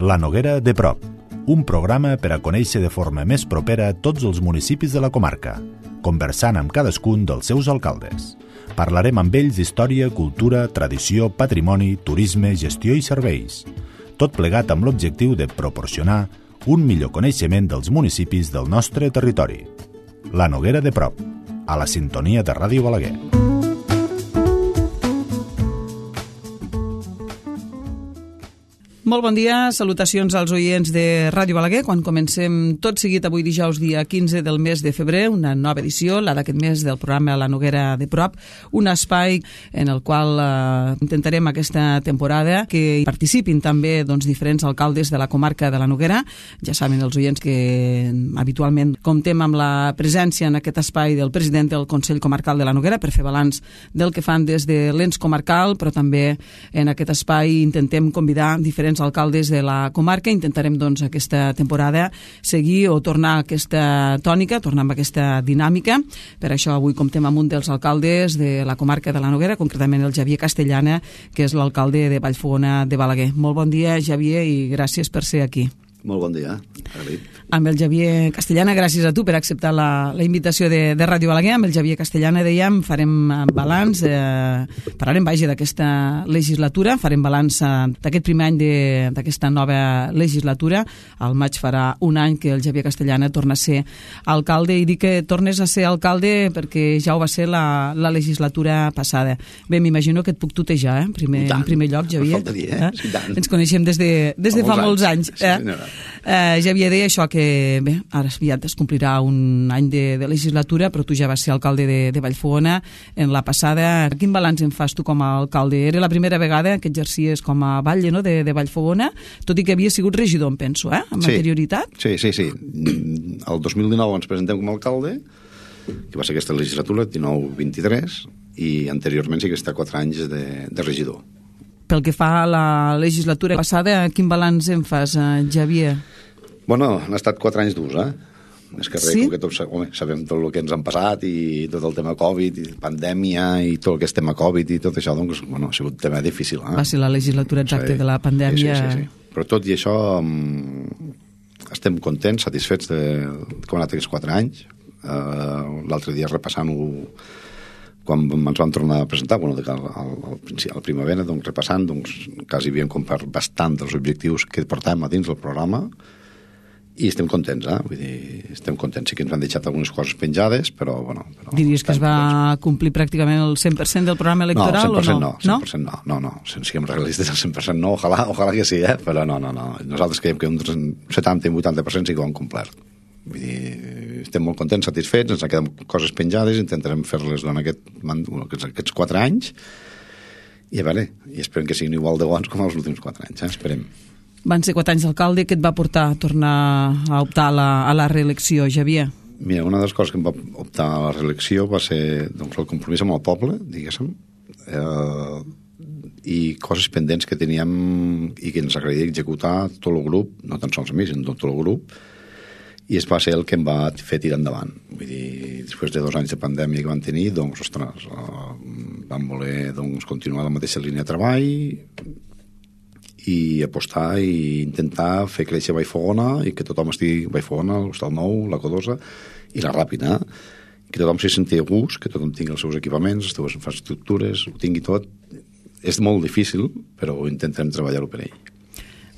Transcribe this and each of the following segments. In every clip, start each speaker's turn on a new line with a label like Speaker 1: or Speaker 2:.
Speaker 1: La Noguera de prop, un programa per a conèixer de forma més propera tots els municipis de la comarca, conversant amb cadascun dels seus alcaldes. Parlarem amb ells d'història, cultura, tradició, patrimoni, turisme, gestió i serveis. Tot plegat amb l'objectiu de proporcionar un millor coneixement dels municipis del nostre territori. La Noguera de prop, a la sintonia de Ràdio Balaguer.
Speaker 2: Molt bon dia, salutacions als oients de Ràdio Balaguer. Quan comencem tot seguit avui dijous dia 15 del mes de febrer, una nova edició, la d'aquest mes del programa La Noguera de prop, un espai en el qual intentarem aquesta temporada que hi participin també diferents alcaldes de la comarca de la Noguera. Ja saben els oients que habitualment comptem amb la presència en aquest espai del president del Consell Comarcal de la Noguera per fer balanç del que fan des de l'ens comarcal, però també en aquest espai intentem convidar diferents alcaldes de la comarca. Intentarem aquesta temporada seguir o tornar a aquesta tònica, tornar amb aquesta dinàmica. Per això avui comptem amb un dels alcaldes de la comarca de la Noguera, concretament el Xavier Castellana, que és l'alcalde de Vallfogona de Balaguer. Molt bon dia, Xavier, i gràcies per ser aquí.
Speaker 3: Molt bon dia, agraït.
Speaker 2: Amb el Xavier Castellana, gràcies a tu per acceptar la invitació de Ràdio Balaguer. Amb el Xavier Castellana, dèiem, farem balanç, parlarem d'aquesta legislatura, farem balanç d'aquest primer any d'aquesta nova legislatura. Al maig farà un any que el Xavier Castellana torna a ser alcalde, i dic que tornes a ser alcalde perquè ja ho va ser la legislatura passada. Bé, m'imagino que et puc tutejar, en primer lloc, Xavier.
Speaker 3: Faltaria, sí, tant.
Speaker 2: Ens coneixem des de fa molts anys. Xavier, deia això que bé, ara aviat es complirà un any de legislatura, però tu ja vas ser alcalde de Vallfogona en la passada. Quin balanç en fas tu com a alcalde? Era la primera vegada que exercies com a batlle, no?, de Vallfogona, tot i que havia sigut regidor, em penso, amb anterioritat?
Speaker 3: Sí. El 2019 ens presentem com a alcalde, que va ser aquesta legislatura, 19-23, i anteriorment sí que està 4 anys de regidor.
Speaker 2: Pel que fa a la legislatura passada, quin balanç en fas, Xavier?
Speaker 3: Bueno, han estat 4 anys durs, Més que res,
Speaker 2: sí?
Speaker 3: que tots sabem tot el que ens han passat i tot el tema Covid, i pandèmia, i tot el que és tema Covid i tot això, doncs, bueno, ha sigut un tema difícil.
Speaker 2: Va ser la legislatura exacta de la pandèmia.
Speaker 3: Sí. Però tot i això estem contents, satisfets com han anat aquests 4 anys. L'altre dia repassant-ho, quan ens vam tornar a presentar, al primavera, repassant, quasi havíem complert bastant dels objectius que portàvem a dins del programa, i estem contents, Vull dir, estem contents. Sí que ens han deixat algunes coses penjades, però bueno...
Speaker 2: Diries que es va complir pràcticament el 100% del programa electoral,
Speaker 3: o no?
Speaker 2: 100%
Speaker 3: no. Si siguem realistes, el 100% no, ojalà que sí, però no. Nosaltres creiem que un 70 i 80% sí que ho han complert. Vull dir, estem molt contents, satisfets, ens han quedat coses penjades, intentarem fer-les durant aquests 4 anys, i esperem que siguin igual de bons com els últims 4 anys, esperem.
Speaker 2: Van ser 4 anys d'alcalde. Què et va portar a tornar a optar a la reelecció, Xavier?
Speaker 3: Mira, una de les coses que em va optar a la reelecció va ser el compromís amb el poble, diguéssim, i coses pendents que teníem i que ens agradaria executar tot el grup, no tan sols a mi, sinó tot el grup, i es va ser el que em va fer tirar endavant. Vull dir, després de 2 anys de pandèmia que van tenir, vam voler continuar la mateixa línia de treball i apostar i intentar fer créixer Vallfogona i que tothom estigui Vallfogona, l'Hostal Nou, la Codosa i la Ràpida, que tothom s'hi senti a gust, que tothom tingui els seus equipaments, les seves infraestructures, ho tingui tot. És molt difícil, però intentarem treballar-ho per ell.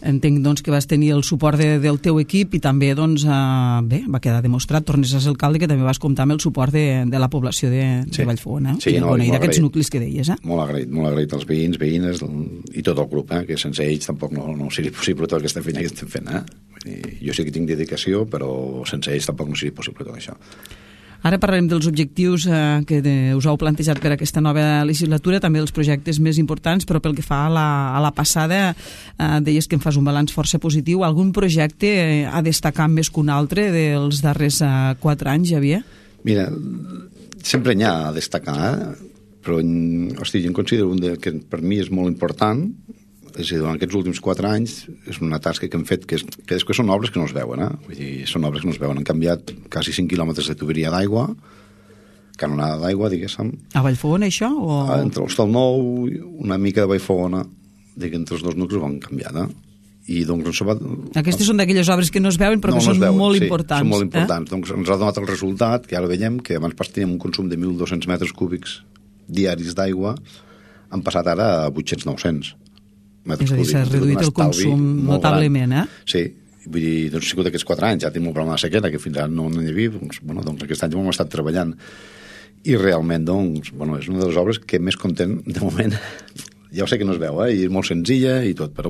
Speaker 2: Entenc, que vas tenir el suport del teu equip i també, va quedar demostrat, tornes a ser alcalde, que també vas comptar amb el suport de la població de Vallfogona, i d'aquests nuclis que deies.
Speaker 3: Molt agraït als veïns, veïnes i tot el grup, que sense ells tampoc no seria possible tot aquesta feina que estem fent. Jo sí que tinc dedicació, però sense ells tampoc no seria possible tot això.
Speaker 2: Ara parlarem dels objectius que us heu plantejat per aquesta nova legislatura, també dels projectes més importants, però pel que fa a la passada, deies que en fas un balanç força positiu. Algun projecte a destacar més que un altre dels darrers 4 anys, Xavier?
Speaker 3: Mira, sempre n'hi ha a destacar, però jo en considero un que per mi és molt important. És a dir, durant aquests últims 4 anys és una tasca que hem fet que després són obres que no es veuen, Vull dir, són obres que no es veuen. Han canviat quasi 5 quilòmetres de tuberia d'aigua, canonada d'aigua, diguéssim.
Speaker 2: A Vallfogona, això?
Speaker 3: Entre l'Hostal Nou, una mica de Vallfogona, entre els 2 nuclis ho han canviat, I doncs
Speaker 2: Aquestes són d'aquelles obres que no es veuen però que són molt importants.
Speaker 3: Són molt importants. Doncs ens ha donat el resultat, que ara veiem, que abans teníem un consum de 1.200 metres cúbics diaris d'aigua, han passat ara a 800-900 metres cúbics.
Speaker 2: És a dir, s'ha reduït el consum notablement,
Speaker 3: Sí, vull dir, doncs ha sigut aquests 4 anys, ja tenim un problema de sequera, que fins ara no n'hi havia, doncs aquest any ja hem estat treballant. I realment, és una de les obres que més content, de moment, ja ho sé que no es veu, i és molt senzilla i tot, però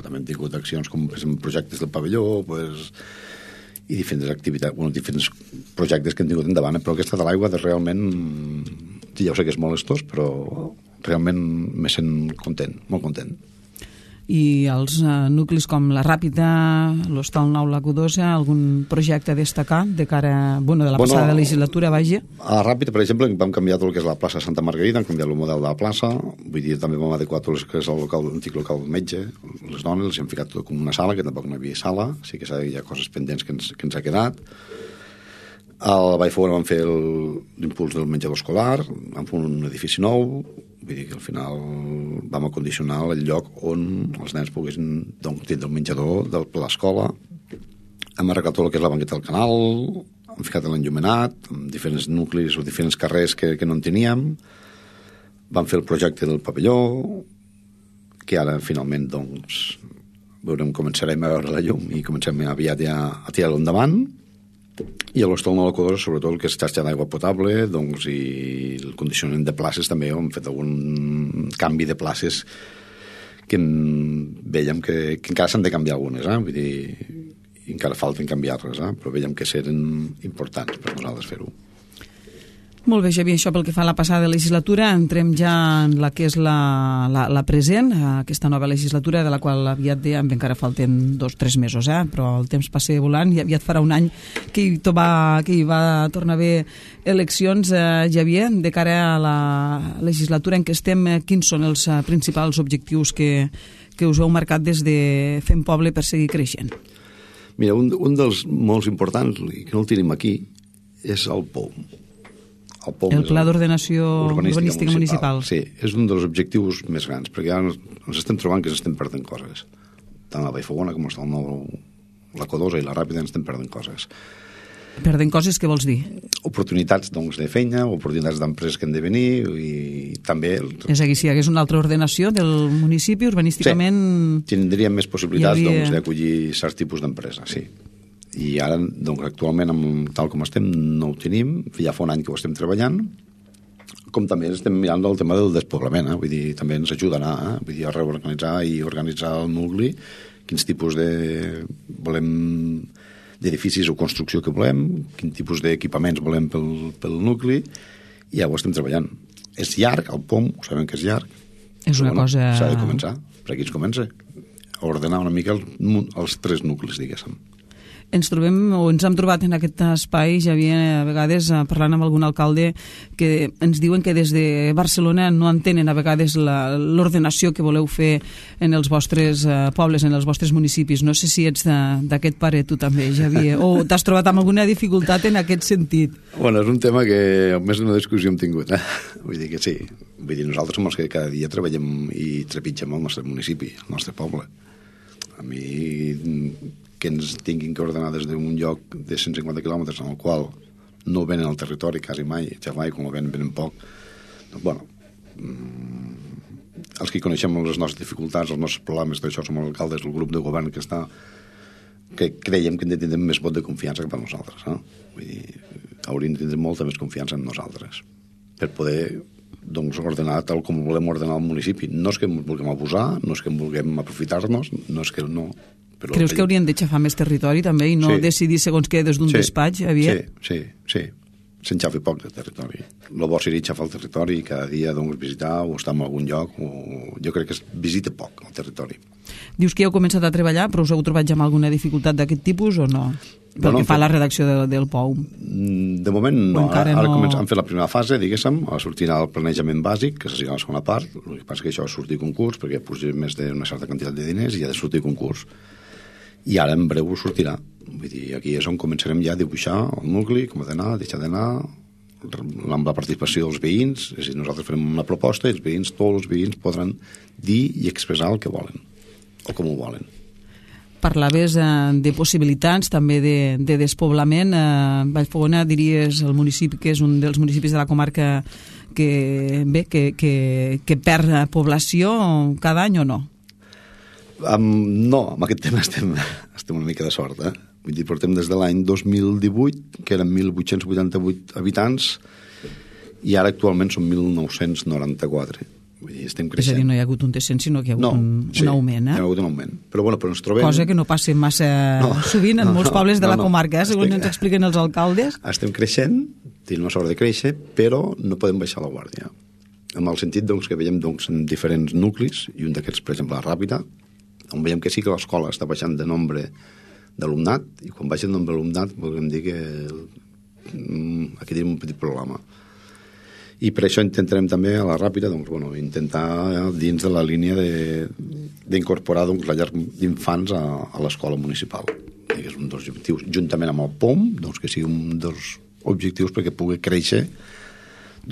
Speaker 3: també hem tingut accions com projectes del pavelló, i diferents activitats, diferents projectes que hem tingut endavant, però aquesta de l'aigua realment, ja ho sé que és molt estós, però realment me sent content, molt content.
Speaker 2: I els nuclis com la Ràpita, l'Hostal Nou, la Codosa, algun projecte a destacar de cara, de la passada legislatura, vagi?
Speaker 3: A la Ràpita, per exemple, vam canviar tot el que és la plaça Santa Margarida, hem canviat el model de la plaça, vull dir, també vam adequar tot el que és l'antic local del metge, les dones, els hem ficat tot com una sala, que tampoc no hi havia sala, sí que hi ha coses pendents que ens ha quedat. Al Vallfogona vam fer l'impuls del menjador escolar, vam fer un edifici nou, vull dir que al final vam acondicionar el lloc on els nens poguessin tindre el menjador de l'escola. Hem arreglat tot el que és la banqueta del canal, hem ficat l'enllumenat, amb diferents nuclis o diferents carrers que no en teníem. Vam fer el projecte del pavelló, que ara finalment començarem a veure la llum i comencem aviat ja a tirar-lo endavant. I a l'Hostal Nou, la Codosa, sobretot el que és xarxa d'aigua potable, i el condicionament de places també, hem fet algun canvi de places que veiem que encara s'han de canviar algunes, vull dir, encara falten canviar-les, però veiem que seran importants per nosaltres fer-ho.
Speaker 2: Molt bé, Xavier, això pel que fa a la passada legislatura. Entrem ja en la que és la present, aquesta nova legislatura, de la qual aviat dèiem, encara falten 2 o 3 mesos, però el temps passa volant i aviat farà un any que hi va tornar a haver eleccions. Xavier, de cara a la legislatura en què estem, quins són els principals objectius que us heu marcat des de Fem Poble per seguir creixent?
Speaker 3: Mira, un dels molt importants, i que no el tenim aquí, és el POUM.
Speaker 2: El Pla d'Ordenació Urbanística Municipal.
Speaker 3: Sí, és un dels objectius més grans, perquè ara ens estem trobant que ens estem perdent coses. Tant la Vallfogona com l'Hostal Nou, la Codosa i la Ràpita ens estem perdent coses.
Speaker 2: Perdent coses, què vols dir?
Speaker 3: Oportunitats de feina, oportunitats d'empreses que han de venir i també...
Speaker 2: És a dir, si hi hagués una altra ordenació del municipi, urbanísticament...
Speaker 3: Sí, tindríem més possibilitats d'acollir certs tipus d'empresa, sí. I ara, actualment, tal com estem, no ho tenim, ja fa un any que ho estem treballant, com també estem mirant el tema del despoblament, vull dir, també ens ajudarà, vull dir, a reorganitzar i organitzar el nucli, quins tipus d'edificis o construcció que volem, quin tipus d'equipaments volem pel nucli, i ja ho estem treballant. És llarg, el POM, ho sabem que és llarg.
Speaker 2: És una cosa...
Speaker 3: S'ha de començar, per aquí es comença, a ordenar una mica els 3 nuclis, diguéssim.
Speaker 2: Ens hem trobat en aquest espai, Xavier, a vegades parlant amb algun alcalde, que ens diuen que des de Barcelona no entenen a vegades l'ordenació que voleu fer en els vostres pobles, en els vostres municipis. No sé si ets d'aquest parer tu també, Xavier, o t'has trobat amb alguna dificultat en aquest sentit.
Speaker 3: Bueno, és un tema que més d'una discussió hem tingut, Vull dir que sí. Vull dir, nosaltres som els que cada dia treballem i trepitgem el nostre municipi, el nostre poble. A mi... que ens tinguin que ordenar des d'un lloc de 150 quilòmetres en el qual no venen al territori quasi mai, ja mai, quan ho venen poc. Doncs, bueno, els que coneixem les nostres dificultats, els nostres problemes, d'això som els alcaldes, el grup de govern que està, que creiem que hem de tindre més vot de confiança que per nosaltres. Vull dir, hauríem de tindre molta més confiança en nosaltres per poder ordenar tal com volem ordenar el municipi. No és que ens vulguem abusar, no és que en vulguem aprofitar-nos, no és que no...
Speaker 2: Creus que haurien de xafar més territori també i no decidir segons què des d'un despatx, Javier?
Speaker 3: Sí. Se'n xafi poc de territori. El bo seria xafar el territori i cada dia visitar o estar en algun lloc. Jo crec que es visita poc el territori.
Speaker 2: Dius que heu començat a treballar, però us heu trobat ja amb alguna dificultat d'aquest tipus o no? Pel que fa a la redacció del POUM.
Speaker 3: De moment no. Ara hem fet la primera fase, diguéssim, sortirà el planejament bàsic, que serà la segona part. El que passa que això ha sortit concurs, perquè puja més d'una certa quantitat de diners i ha de sortir concurs. I ara en breu sortirà. Vull dir, aquí és on començarem ja a dibuixar el nucli, com ha d'anar, deixar d'anar, amb la participació dels veïns. És a dir, nosaltres farem una proposta i tots els veïns podran dir i expressar el que volen o com ho volen.
Speaker 2: Parlaves de possibilitats, també de despoblament. Vallfogona, diries, el municipi que és un dels municipis de la comarca que perd població cada any o no?
Speaker 3: No, amb aquest tema estem una mica de sort. Vull dir, portem des de l'any 2018, que eren 1.888 habitants, i ara actualment són 1.994. Vull dir, estem creixent.
Speaker 2: És a dir, no hi ha hagut un descens, sinó que hi ha hagut un augment.
Speaker 3: Hi ha hagut un augment. Però ens trobem...
Speaker 2: Cosa que no passa massa sovint en molts pobles de la comarca, segons ens expliquen els alcaldes.
Speaker 3: Estem creixent, tenim la sort de créixer, però no podem baixar la guàrdia. En el sentit que veiem en diferents nuclis, i un d'aquests, per exemple, la Ràpita, on veiem que sí que l'escola està baixant de nombre d'alumnat, i quan baixa el nombre d'alumnat podem dir que aquí tenim un petit problema. I per això intentarem també a la Ràpita intentar dins de la línia d'incorporar la llar d'infants a l'escola municipal. Que és un dels objectius, juntament amb el POM, que sigui un dels objectius perquè pugui créixer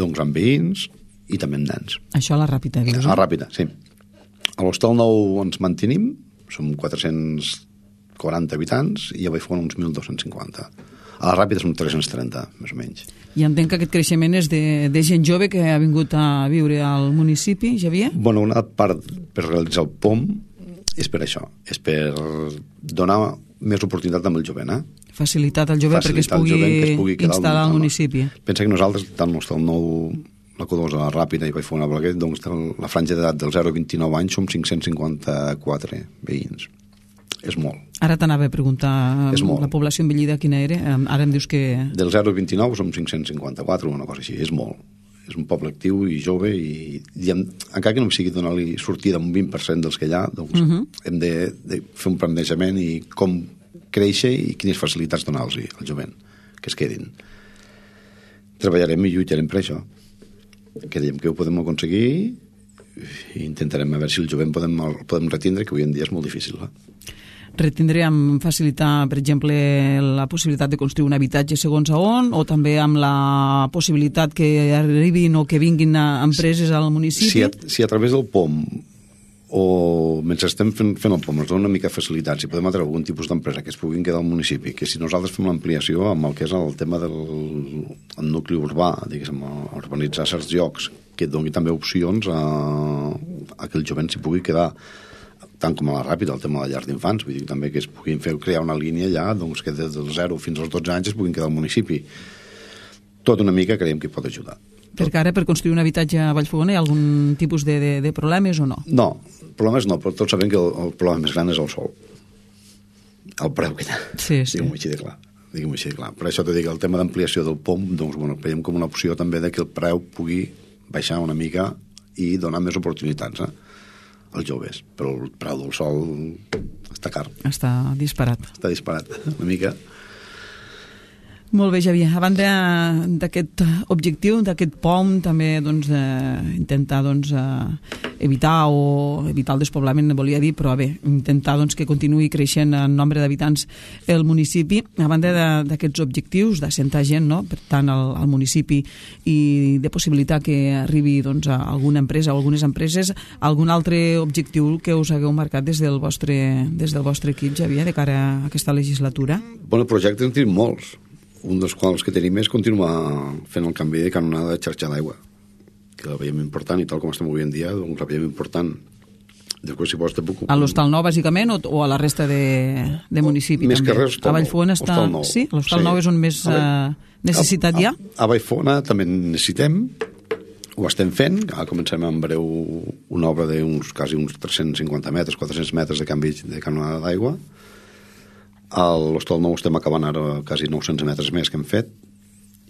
Speaker 3: amb veïns i també amb nens.
Speaker 2: Això a la Ràpita, dius?
Speaker 3: A la Ràpita, sí. A l'Hostal Nou ens mantenim, som 440 habitants, i a Vallfogona uns 1.250. A la Ràpida són 330, més o menys.
Speaker 2: I entenc que aquest creixement és de gent jove que ha vingut a viure al municipi, Xavier?
Speaker 3: Bueno, una part per realitzar el POM és per això, és per donar més oportunitat amb el jovent.
Speaker 2: Facilitat al jovent perquè es pugui instal·lar al municipi.
Speaker 3: Pensa que nosaltres, tant l'Hostal Nou, la Codosa, la Ràpida i Vallfogona, la franja d'edat del 0 a 29 anys som 554 veïns. És molt.
Speaker 2: Ara t'anava a preguntar la població envellida quina era. Ara em dius que...
Speaker 3: Del 0 a 29 som 554, una cosa així. És molt. És un poble actiu i jove i encara que no sigui donar-li sortida amb un 20% dels que hi ha, hem de fer un plantejament i com créixer i quines facilitats donar-los al jovent, que es quedin. Treballarem i lluitarem per això. Creiem que ho podem aconseguir i intentarem a veure si el jovent podem retindre, que avui en dia és molt difícil.
Speaker 2: Retindre amb facilitar, per exemple, la possibilitat de construir un habitatge segons a on, o també amb la possibilitat que arribin o que vinguin empreses al municipi?
Speaker 3: Si a través del POM o mentre estem fent el POM ens dona una mica de facilitat, si podem atreure algun tipus d'empresa que es puguin quedar al municipi, que si nosaltres fem l'ampliació amb el que és el tema del nucli urbà, diguéssim, urbanitzar certs llocs, que et doni també opcions a que el jovent s'hi pugui quedar, tant com a la Ràpida, el tema de la llar d'infants, vull dir també que es puguin crear una línia allà, que des del 0 fins als 12 anys es puguin quedar al municipi. Tot una mica creiem que pot ajudar.
Speaker 2: Perquè ara per construir un habitatge a Vallfogona hi ha algun tipus de problemes o no?
Speaker 3: No, problemes no, però tots sabem que el problema més gran és el sol. El preu que hi ha.
Speaker 2: Sí.
Speaker 3: Diguem-ho així de clar. Per això t'ho dic, el tema d'ampliació del POM, veiem com una opció també que el preu pugui baixar una mica i donar més oportunitats als joves. Però el preu del sol està car.
Speaker 2: Està disparat.
Speaker 3: Una mica.
Speaker 2: Molt bé, Xavier. A banda d'aquest objectiu, d'aquest POM, també intentar evitar el despoblament, volia dir, però bé, intentar que continuï creixent en nombre d'habitants el municipi. A banda d'aquests objectius d'assentar gent, no? Per tant, al municipi, i de possibilitar que arribi a alguna empresa o algunes empreses, algun altre objectiu que us hagueu marcat des del vostre equip, Xavier, de cara a aquesta legislatura?
Speaker 3: Bueno, projectes en tenim molts. Un dels quals que tenim és continuar fent el canvi de canonada de xarxa d'aigua, que la veiem important, i tal com estem avui en dia, la veiem important. Després, si vols, te puc...
Speaker 2: A l'Hostal Nou, bàsicament, o a la resta de municipi?
Speaker 3: Més
Speaker 2: també?
Speaker 3: Que res,
Speaker 2: a Vallfogona està... Sí? L'Hostal Nou és on més necessitat hi ha?
Speaker 3: A Vallfogona també necessitem, ho estem fent, ara comencem en breu una obra quasi uns 350 metres, 400 metres de canvi de canonada d'aigua. A l'Hostal Nou estem acabant ara quasi 900 metres més que hem fet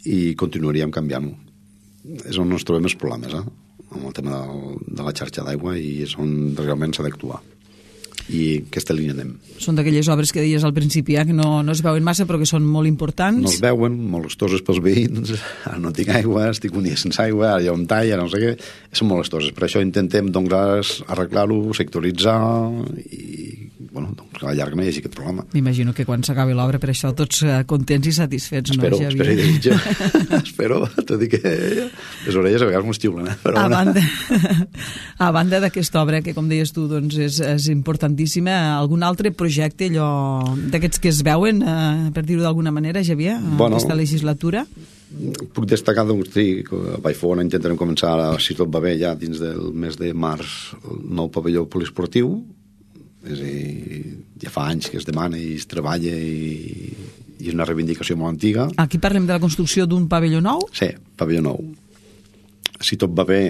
Speaker 3: i continuaríem canviant-ho. És on ens trobem els problemes, amb el tema de la xarxa d'aigua, i és on realment s'ha d'actuar. I aquesta línia anem.
Speaker 2: Són d'aquelles obres que deies al principi, que no es veuen massa però que són molt importants.
Speaker 3: No es veuen, molestoses pels veïns. Ara no tinc aigua, estic un dia sense aigua, ara hi ha un tall, ara no sé què. Són molestoses. Per això intentem arreglar-ho, sectoritzar i a la llarga no hi hagi aquest problema.
Speaker 2: M'imagino que quan s'acabi l'obra per això tots contents i satisfets,
Speaker 3: espero,
Speaker 2: no, Xavier?
Speaker 3: Espero i desitjo. Espero, t'ho dic que les orelles a vegades m'ho estiulen. Però
Speaker 2: a banda d'aquesta obra, que com deies tu doncs és importantíssima, algun altre projecte allò d'aquests que es veuen, per dir-ho d'alguna manera, Xavier, aquesta legislatura?
Speaker 3: Puc destacar, doncs, que a Vallfogona intentarem començar, si tot va bé, ja dins del mes de març, el nou pavelló poliesportiu. És a dir, ja fa anys que es demana i es treballa i és una reivindicació molt antiga.
Speaker 2: Aquí parlem de la construcció d'un pavelló nou?
Speaker 3: Sí, pavelló nou. Si tot va bé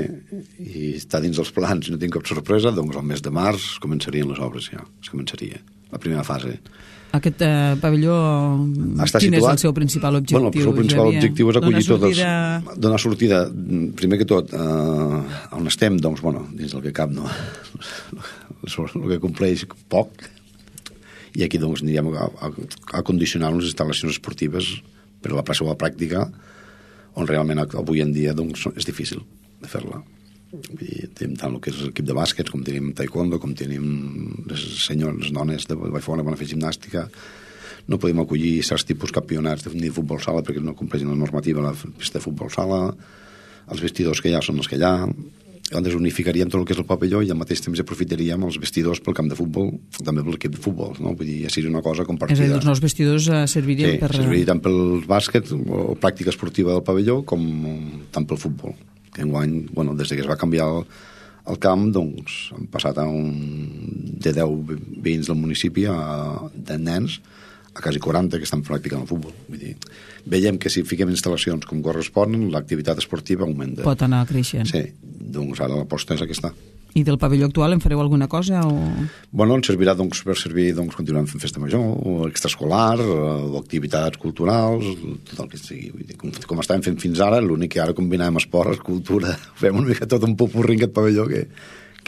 Speaker 3: i està dins dels plans i no tinc cap sorpresa, doncs al mes de març començarien les obres ja. Es començaria la primera fase.
Speaker 2: Aquest pavelló, quin és el seu principal objectiu?
Speaker 3: Bueno, el seu principal objectiu és acollir totes... Donar sortida, primer que tot, on estem, doncs, bueno, dins del que cap, no? El que compleix poc. I aquí, doncs, anirem a condicionar unes instal·lacions esportives per a la prova pràctica, on realment avui en dia, doncs, és difícil de fer-la. Tenim tant el que és l'equip de bàsquet, com tenim taekwondo, com tenim les senyors, dones de Vallfogona que van a fer gimnàstica. No podem acollir certs tipus campionats ni de futbol sala perquè no compleixen la normativa la pista de futbol sala. Els vestidors que hi ha són els que hi ha. Llavors unificaríem tot el que és el pavelló i al mateix temps aprofitaríem els vestidors pel camp de futbol, també per l'equip de futbol, no? Vull dir, ja seria una cosa compartida.
Speaker 2: És a dir, els nous vestidors servirien per...
Speaker 3: Sí, serviria tant pel bàsquet o pràctica esportiva del pavelló com tant pel futbol. Que enguany, bueno, des que es va canviar el camp, doncs han passat de 10 veïns del municipi de nens a quasi 40 que estan practicant el futbol. Vull dir, veiem que si fiquem instal·lacions com corresponen, l'activitat esportiva augmenta.
Speaker 2: Pot anar creixent.
Speaker 3: Sí, doncs ara l'aposta és aquesta.
Speaker 2: I del pavelló actual en fareu alguna cosa? O...
Speaker 3: Bueno, ens servirà doncs, per servir, doncs, continuem fent festa major, o extraescolar, o activitats culturals, tot el que sigui. Vull dir, com estàvem fent fins ara, l'únic que ara combinem esport, cultura, fem una mica tot un popurrí en aquest pavelló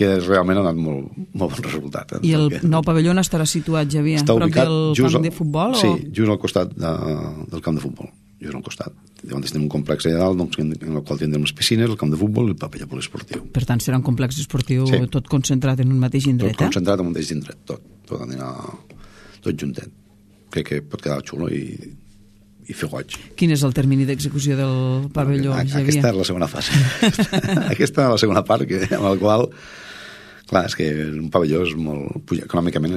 Speaker 3: que realment ha anat molt bon resultat.
Speaker 2: I el nou pavelló on estarà situat, Xavier?
Speaker 3: Està ubicat
Speaker 2: del camp de futbol?
Speaker 3: Sí, just al costat del camp de futbol. Just al costat. Llavors tenim un complex allà dalt, doncs, en el qual tindrem les piscines, el camp de futbol i el pavelló poliesportiu.
Speaker 2: Per tant, serà un complex esportiu tot concentrat en un mateix indret,
Speaker 3: Tot concentrat en un mateix indret, tot anirà tot juntet. Crec que pot quedar xulo i fer goig.
Speaker 2: Quin és el termini d'execució del pavelló, Xavier?
Speaker 3: Aquesta és la segona fase. Aquesta és la segona part, amb la qual, clar, és que un pavelló és molt... Econòmicament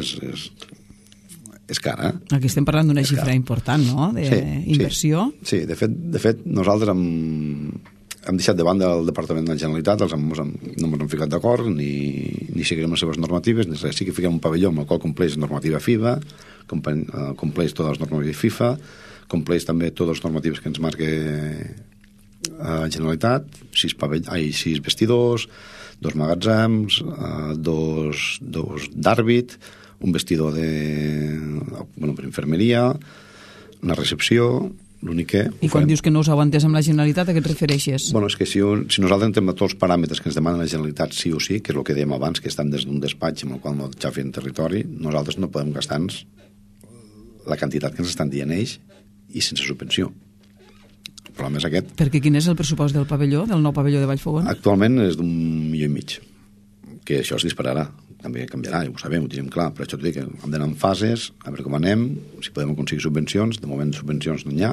Speaker 3: és cara.
Speaker 2: Aquí estem parlant d'una xifra important, no?, d'inversió.
Speaker 3: Sí, de fet, nosaltres hem deixat de banda el Departament de la Generalitat, no ens hem ficat d'acord, ni seguirem les seves normatives, ni res. Sí que fiquem un pavelló amb el qual compleix normativa FIBA, compleix totes les normatives FIFA, compleix també totes les normatives que ens marca la Generalitat, 6 vestidors, 2 magatzems, 2 d'àrbit, un vestidor per infermeria, una recepció, l'únic que...
Speaker 2: I quan dius que no us heu entès amb la Generalitat, a què et refereixes?
Speaker 3: Bueno, és que si nosaltres entrem a tots els paràmetres que ens demanen la Generalitat sí o sí, que és el que dèiem abans, que estan des d'un despatx amb el qual no xafen territori, nosaltres no podem gastar-nos la quantitat que ens estan dient ells i sense subvenció. El problema és aquest.
Speaker 2: Perquè quin és el pressupost del pavelló, del nou pavelló de Vallfogona?
Speaker 3: Actualment és d'1,5 milions, que això es dispararà. També canviarà, ho sabem, ho tenim clar, però això t'ho dic, hem d'anar en fases, a veure com anem, si podem aconseguir subvencions, de moment subvencions no n'hi ha,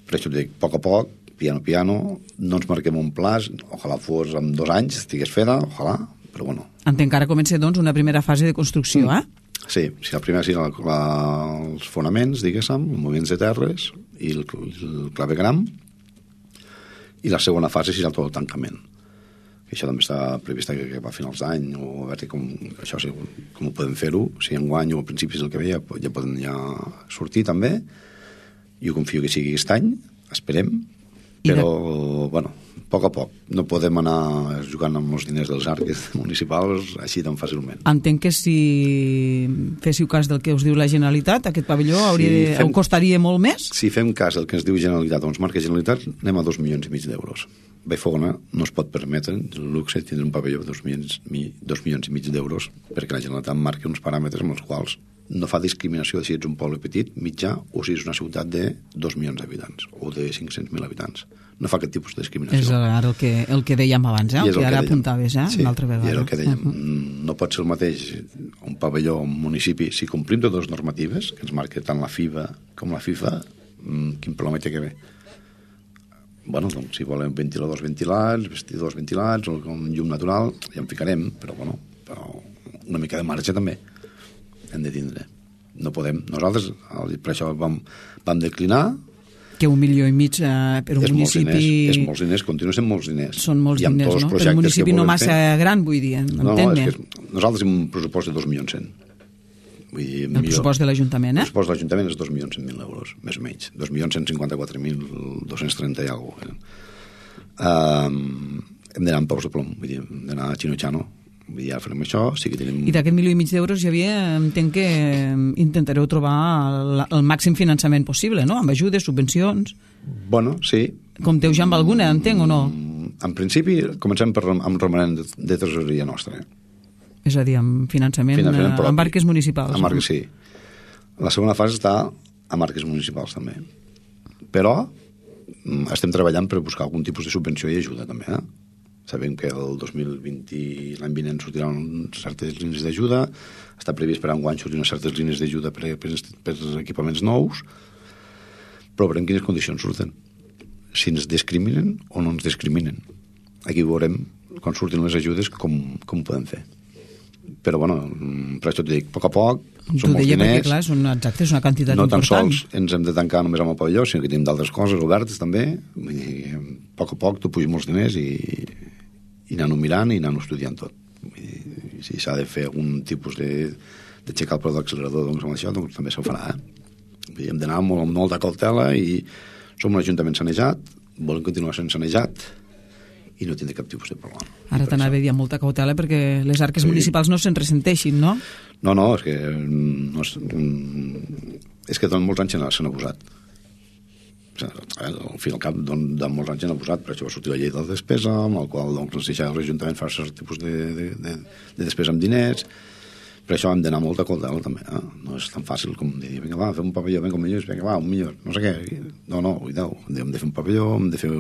Speaker 3: però això t'ho dic, a poc, piano, no ens marquem un pla, ojalà fos en 2 anys, estigués feta, ojalà, però bueno.
Speaker 2: Entenc que ara comença, doncs, una primera fase de construcció,
Speaker 3: Sí, la primera serà els fonaments, diguéssim, els moviments de terres i el clavegram, i la segona fase serà tot el tancament. Això també està previst que va a finals d'any, o a veure com ho podem fer-ho, si enguany o a principis del que ve ja poden sortir també, i ho confio que sigui aquest any, esperem, però, bueno, a poc. No podem anar jugant amb els diners dels arques municipals així tan fàcilment.
Speaker 2: Entenc que si féssiu cas del que us diu la Generalitat, aquest pavelló costaria molt més?
Speaker 3: Si fem cas del que ens diu Generalitat o ens marca Generalitat, anem a 2,5 milions d'euros. Vallfogona no es pot permetre el luxe de tindre un pavelló de 2,5 milions d'euros perquè la Generalitat marca uns paràmetres amb els quals no fa discriminació si ets un poble petit, mitjà, o si és una ciutat de 2 milions d'habitants o de 500.000 habitants. No fa aquest tipus de discriminació.
Speaker 2: És ara el que dèiem abans, el que ara apuntaves,
Speaker 3: sí,
Speaker 2: una altra vegada.
Speaker 3: I és el que dèiem. No pot ser el mateix un pavelló, un municipi. Si complim totes les normatives, que ens marca tant la FIBA com la FIFA, quin problema té que ve? Bueno, doncs, si volem ventiladors ventilats, vestidors ventilats, o com llum natural, ja en ficarem, però una mica de marge també hem de tindre. No podem. Nosaltres, per això vam declinar.
Speaker 2: Que 1,5 milions per un municipi...
Speaker 3: És molts diners, continuen sent molts diners.
Speaker 2: Són molts diners, no? Per un municipi no massa gran, vull dir, entén-me.
Speaker 3: Nosaltres hem un pressupost de 2.100.000. Vull dir,
Speaker 2: el pressupost de l'Ajuntament,
Speaker 3: El pressupost de l'Ajuntament és 2.100.000 euros, més o menys. 2.154.230 i alguna cosa. Hem d'anar amb peus de plom, vull dir, hem d'anar a xino-xano. Vull dir, ja farem això, sí que tenim...
Speaker 2: I d'aquest 1,5 milions d'euros, Xavier, entenc que intentareu trobar el màxim finançament possible, no? Amb ajudes, subvencions...
Speaker 3: Bueno, sí.
Speaker 2: Compteu ja amb alguna, entenc, o no?
Speaker 3: En principi, comencem amb romanent de tresoreria nostra.
Speaker 2: És a dir, amb finançament propi, amb marques municipals.
Speaker 3: Amb marques, sí. La segona fase està a marques municipals, també. Però estem treballant per buscar algun tipus de subvenció i ajuda, també, Sabem que el 2020, l'any vinent, sortiran certes línies d'ajuda, està previst per enguany sortir unes certes línies d'ajuda per equipaments nous, però veurem quines condicions surten. Si ens discriminen o no ens discriminen. Aquí veurem, quan surtin les ajudes, com ho podem fer. Però, bueno, per això t'ho dic, a poc, són molts diners.
Speaker 2: Perquè, clar, és una quantitat important.
Speaker 3: No tan sols ens hem de tancar només amb el pavelló, sinó que tenim d'altres coses obertes, també. A poc tu puges molts diners i anar-ho mirant i anar-ho estudiant tot. Si s'ha de fer algun tipus d'aixecar el preu de l'accelerador amb això, doncs també s'ho farà. Hem d'anar amb molta cautela i som un ajuntament sanejat, volem continuar sent sanejat i no tindre cap tipus de problema.
Speaker 2: Ara t'anava a dir amb molta cautela perquè les arques municipals no se'n ressenteixin, no?
Speaker 3: No, és que durant molts anys s'han abusat. Al fin i al cap de molts anys han abusat, per això va sortir la llei de la despesa, amb la qual ens deixava l'Ajuntament fer cert tipus de despesa amb diners. Per això hem d'anar molt a cautela també. No és tan fàcil com dir, vinga va, fem un pavelló, vinga un milió, no sé què. No, hem de fer un pavelló, hem de fer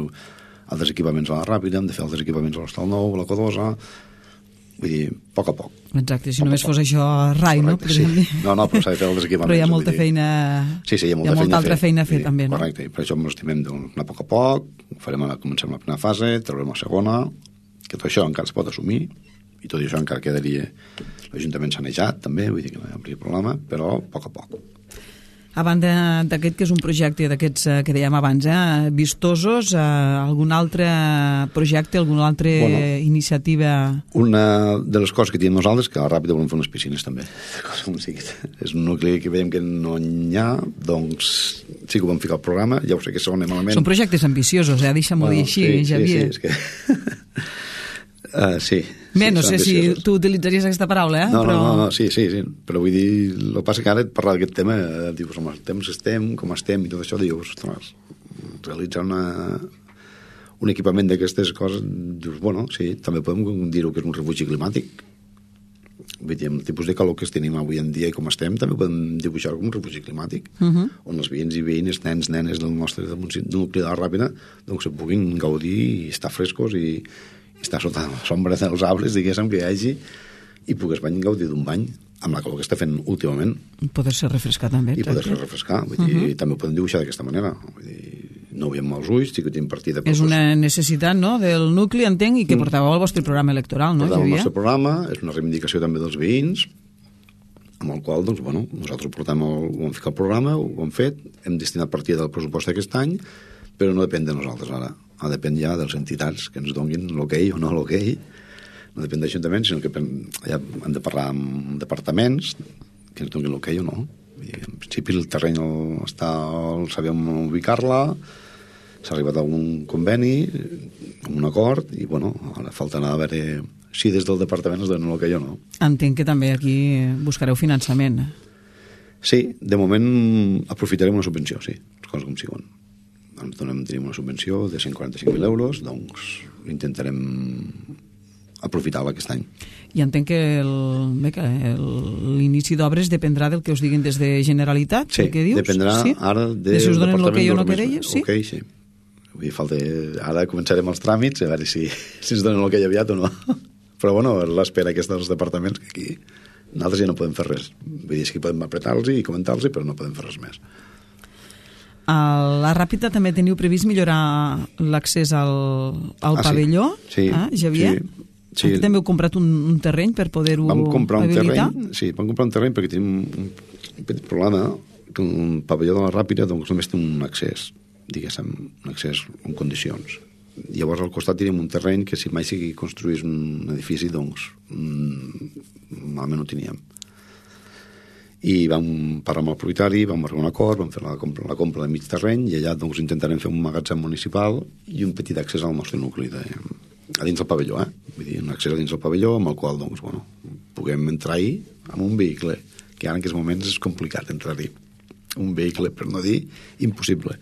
Speaker 3: altres equipaments a la Ràpida, hem de fer altres equipaments a l'Hostal Nou, a la Codosa. Vull dir, a poc.
Speaker 2: Exacte, si només fos això rai, no?
Speaker 3: Sí. No, però s'ha de fer els equipaments.
Speaker 2: Però hi ha molta feina...
Speaker 3: Sí, hi ha molta
Speaker 2: altra feina a fer, també, no?
Speaker 3: Correcte, i per això ens estimem d'anar a poc, comencem la primera fase, traurem la segona, que tot això encara es pot assumir, i tot això encara quedaria l'Ajuntament sanejat, també, vull dir que no hi hauria problema, però a poc.
Speaker 2: A banda d'aquest, que és un projecte d'aquests que dèiem abans, vistosos, algun altre projecte, alguna altra iniciativa?
Speaker 3: Una de les coses que tenim nosaltres, que a la Ràpida volem fer unes piscines també. És un nucli que veiem que no n'hi ha, doncs sí que ho vam ficar al programa, ja ho sé que sona malament.
Speaker 2: Són projectes ambiciosos, deixa'm-ho dir així, Xavier.
Speaker 3: Sí, és que... sí.
Speaker 2: Bé, no sé si tu utilitzaries aquesta paraula,
Speaker 3: No, sí, però vull dir, el que passa que ara parlar d'aquest tema, dius, home, com estem i tot això, dius, ostres, realitzar un equipament d'aquestes coses, dius, bueno, sí, també podem dir-ho que és un refugi climàtic. Vull dir, amb el tipus de calor que tenim avui en dia i com estem, també podem dibuixar com un refugi climàtic, on els veïns i veïnes, nens, nenes del nostre nucli de la Ràpida, doncs se puguin gaudir i estar frescos i estar sota la sombra dels arbres, diguéssim, que hi hagi, i pugues gaudir d'un bany amb la calor que està fent últimament.
Speaker 2: Poder-se refrescar també.
Speaker 3: I poder-se refrescar, vull dir, també ho podem dibuixar d'aquesta manera. Vull dir, no ho veiem amb els ulls, sí que tenim partida...
Speaker 2: És una necessitat, no?, del nucli, entenc, i que portàveu al vostre programa electoral, no, Xavier?
Speaker 3: Portàvem el nostre programa, és una reivindicació també dels veïns, amb el qual, doncs, bueno, nosaltres ho vam ficar al programa, ho hem fet, hem destinat partida del pressupost d'aquest any, però no depèn de nosaltres ara. Depèn ja de les entitats que ens donin l'hoquei o no l'hoquei. No depèn d'Ajuntament, sinó que ja hem de parlar amb departaments que ens donin l'hoquei o no. En principi el terreny sabem ubicar-la, s'ha arribat a un conveni, a un acord, i bueno, ara falta anar a veure si des del departament ens donen l'hoquei o no.
Speaker 2: Entenc que també aquí buscareu finançament.
Speaker 3: Sí, de moment aprofitarem una subvenció, sí, les coses com siguin. Tenim una subvenció de 145.000 euros, doncs intentarem aprofitar-la aquest any.
Speaker 2: I entenc que l'inici d'obres dependrà del que us diguin des de Generalitat,
Speaker 3: Sí,
Speaker 2: què dius?
Speaker 3: dependrà ara
Speaker 2: de si us donen l'hoquei o no que deies, sí?
Speaker 3: Ok, sí. Vull dir, ara començarem els tràmits, a veure si ens donen l'hoquei aviat o no. Però bueno, l'espera aquesta dels departaments, que aquí nosaltres ja no podem fer res. Vull dir, que podem apretar-los i comentar-los, però no podem fer res més.
Speaker 2: A la Ràpita també teniu previst millorar l'accés al pavelló,
Speaker 3: sí,
Speaker 2: Xavier?
Speaker 3: Sí.
Speaker 2: Aquí també heu comprat un terreny per poder-ho habilitar?
Speaker 3: Vam comprar un terreny perquè tenim un petit problema, que un pavelló de la Ràpita doncs, només té un accés, diguéssim, un accés en condicions. Llavors al costat tenim un terreny que si mai sigui construís un edifici, doncs malament ho teníem. I vam parlar amb el propietari, vam arribar a un acord, vam fer la compra de mig terreny i allà doncs, intentarem fer un magatzem municipal i un petit accés al nostre nucli a dins del pavelló, Vull dir, un accés a dins del pavelló amb el qual doncs, bueno, puguem entrar-hi amb un vehicle, que ara en aquests moments és complicat entrar-hi. Un vehicle, per no dir, impossible.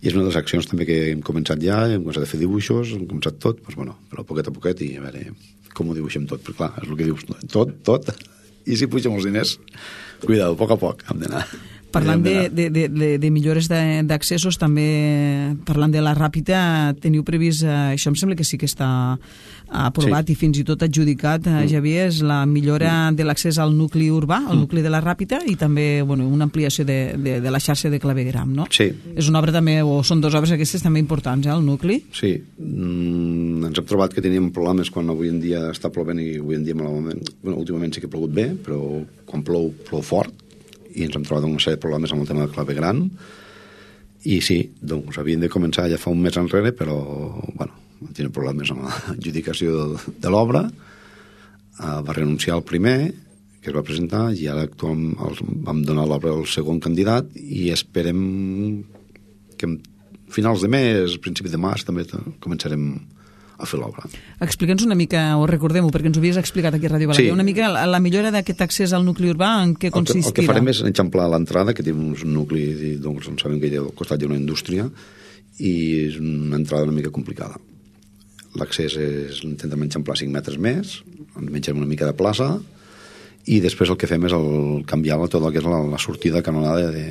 Speaker 3: I és una de les accions també que hem començat ja, hem començat a fer dibuixos, hem començat tot, doncs, bueno, però poquet a poquet i a veure com ho dibuixem tot, perquè clar, és el que dius, tot, i si pugem els diners, cuidado, a poc hem d'anar.
Speaker 2: Parlant de millores d'accessos, també parlant de la Ràpita, teniu previst, això em sembla que sí que està aprovat i fins i tot adjudicat, Xavier, és la millora de l'accés al nucli urbà, al nucli de la Ràpita, i també una ampliació de la xarxa de clavegueram, no?
Speaker 3: Sí.
Speaker 2: És una obra també, o són dues obres aquestes també importants, al nucli?
Speaker 3: Sí. Ens hem trobat que teníem problemes quan avui en dia està plovent i avui en dia malament. Bueno, últimament sí que ha plogut bé, però quan plou fort, i ens hem trobat una sèrie de problemes amb el tema del claveguram i sí, doncs havíem de començar ja fa un mes enrere, però bueno, tenim problemes amb l'adjudicació de l'obra. Va renunciar el primer que es va presentar i ara vam donar l'obra al segon candidat i esperem que a finals de mes, principi de març també començarem a fer l'obra.
Speaker 2: Explica'ns una mica, o recordem-ho, perquè ens ho havies explicat aquí a Ràdio Balaguer, una mica la millora d'aquest accés al nucli urbà, en què consistirà?
Speaker 3: El que farem és eixamplar l'entrada, que té un nucli, doncs sabem que al costat hi ha una indústria, i és una entrada una mica complicada. L'accés intentem eixamplar 5 metres més, ens menjarem una mica de plaça, i després el que fem és canviar tot el que és la sortida canonada de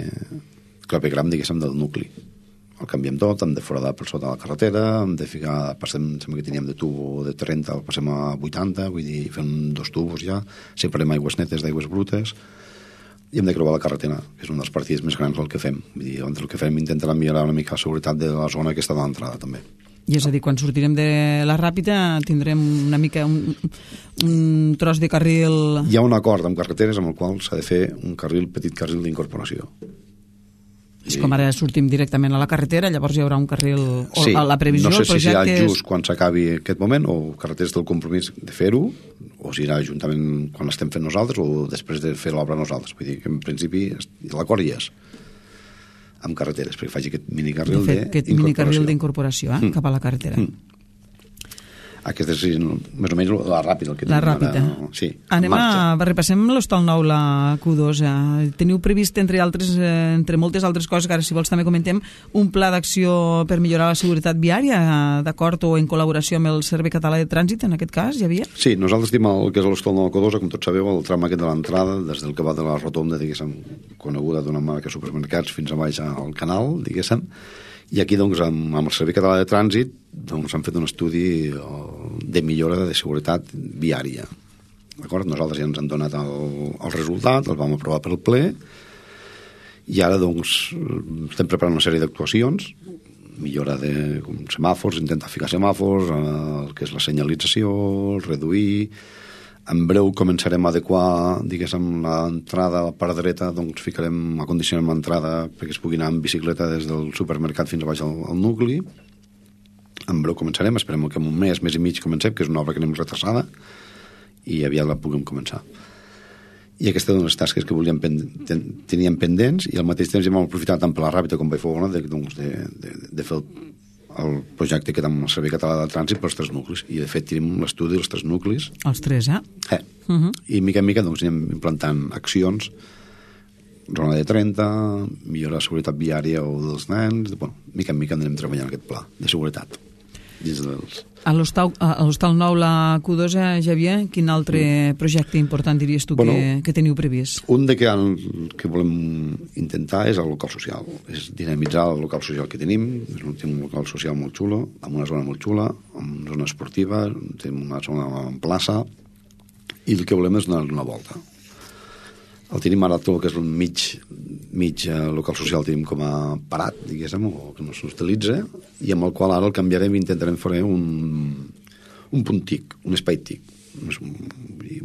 Speaker 3: claveguram, diguéssim, del nucli. El canviem tot, hem de foradar per sota la carretera, hem de ficar, sembla que teníem de tubo de 30, el passem a 80, vull dir, fem 2 tubos ja, separem aigües netes d'aigües brutes, i hem de creuar la carretera, que és un dels partits més grans del que fem. Vull dir, el que fem intentarà millorar una mica la seguretat de la zona que està de l'entrada, també.
Speaker 2: I és a dir, quan sortirem de la Ràpita tindrem una mica un tros de carril...
Speaker 3: Hi ha un acord amb carreteres amb el qual s'ha de fer un petit carril d'incorporació.
Speaker 2: És com ara sortim directament a la carretera, llavors hi haurà un carril...
Speaker 3: Sí,
Speaker 2: a la previsió,
Speaker 3: no sé si serà
Speaker 2: és...
Speaker 3: just quan s'acabi aquest moment, o carreteres del compromís de fer-ho, o si serà juntament quan l'estem fent nosaltres, o després de fer l'obra nosaltres. Vull dir que en principi l'acord hi és amb carreteres, perquè faci aquest minicarril d'incorporació.
Speaker 2: Aquest minicarril d'incorporació, cap a la carretera.
Speaker 3: Aquest és més o menys la Ràpita.
Speaker 2: La Ràpita.
Speaker 3: Sí,
Speaker 2: repassem l'Hostal Nou, la Q2. Teniu previst, entre moltes altres coses, que ara si vols també comentem, un pla d'acció per millorar la seguretat viària, d'acord o en col·laboració amb el Servei Català de Trànsit, en aquest cas, Xavier?
Speaker 3: Sí, nosaltres tenim el que és l'Hostal Nou, la Q2, com tots sabeu, el tram aquest de l'entrada, des del que va de la rotonda, diguéssim, coneguda d'una marca supermercats fins a baix al canal, diguéssim. I aquí, doncs, amb el Servei Català de Trànsit, doncs, han fet un estudi de millora de seguretat viària. D'acord? Nosaltres ja ens han donat el resultat, el vam aprovar pel ple, i ara, doncs, estem preparant una sèrie d'actuacions, millora de semàfors, intentar ficar semàfors, el que és la senyalització, reduir... En breu començarem a adequar, diguéssim, l'entrada a la part dreta, doncs ficarem, acondicionem l'entrada perquè es pugui anar en bicicleta des del supermercat fins a baix al nucli. En breu començarem, esperem que en un mes i mig comencem, que és una obra que anem retrasada, i aviat la puguem començar. I aquestes són les tasques que teníem pendents, i al mateix temps hem aprofitat tant per la Ràpita com per Fogona de fer el projecte que amb el Servei Català de Trànsit pels 3 nuclis, i de fet tenim l'estudi dels 3 nuclis.
Speaker 2: Els 3,
Speaker 3: I mica en mica doncs anem implantant accions, zona de 30, millorar la seguretat viària o dels nens, mica en mica anem treballant aquest pla de seguretat. dins dels...
Speaker 2: A l'Hostal Nou, la Q2, Javier, quin altre projecte important diries tu que teniu previst?
Speaker 3: Un que volem intentar és el local social, és dinamitzar el local social que tenim. És un local social molt xulo, amb una zona molt xula, amb una zona esportiva, tenim una zona en plaça, i el que volem és donar-li una volta. El tenim ara tot el que és el mig local social tenim com a parat, diguéssim, o que no s'utilitza, i amb el qual ara el canviarem i intentarem fer un punt TIC, un espai TIC.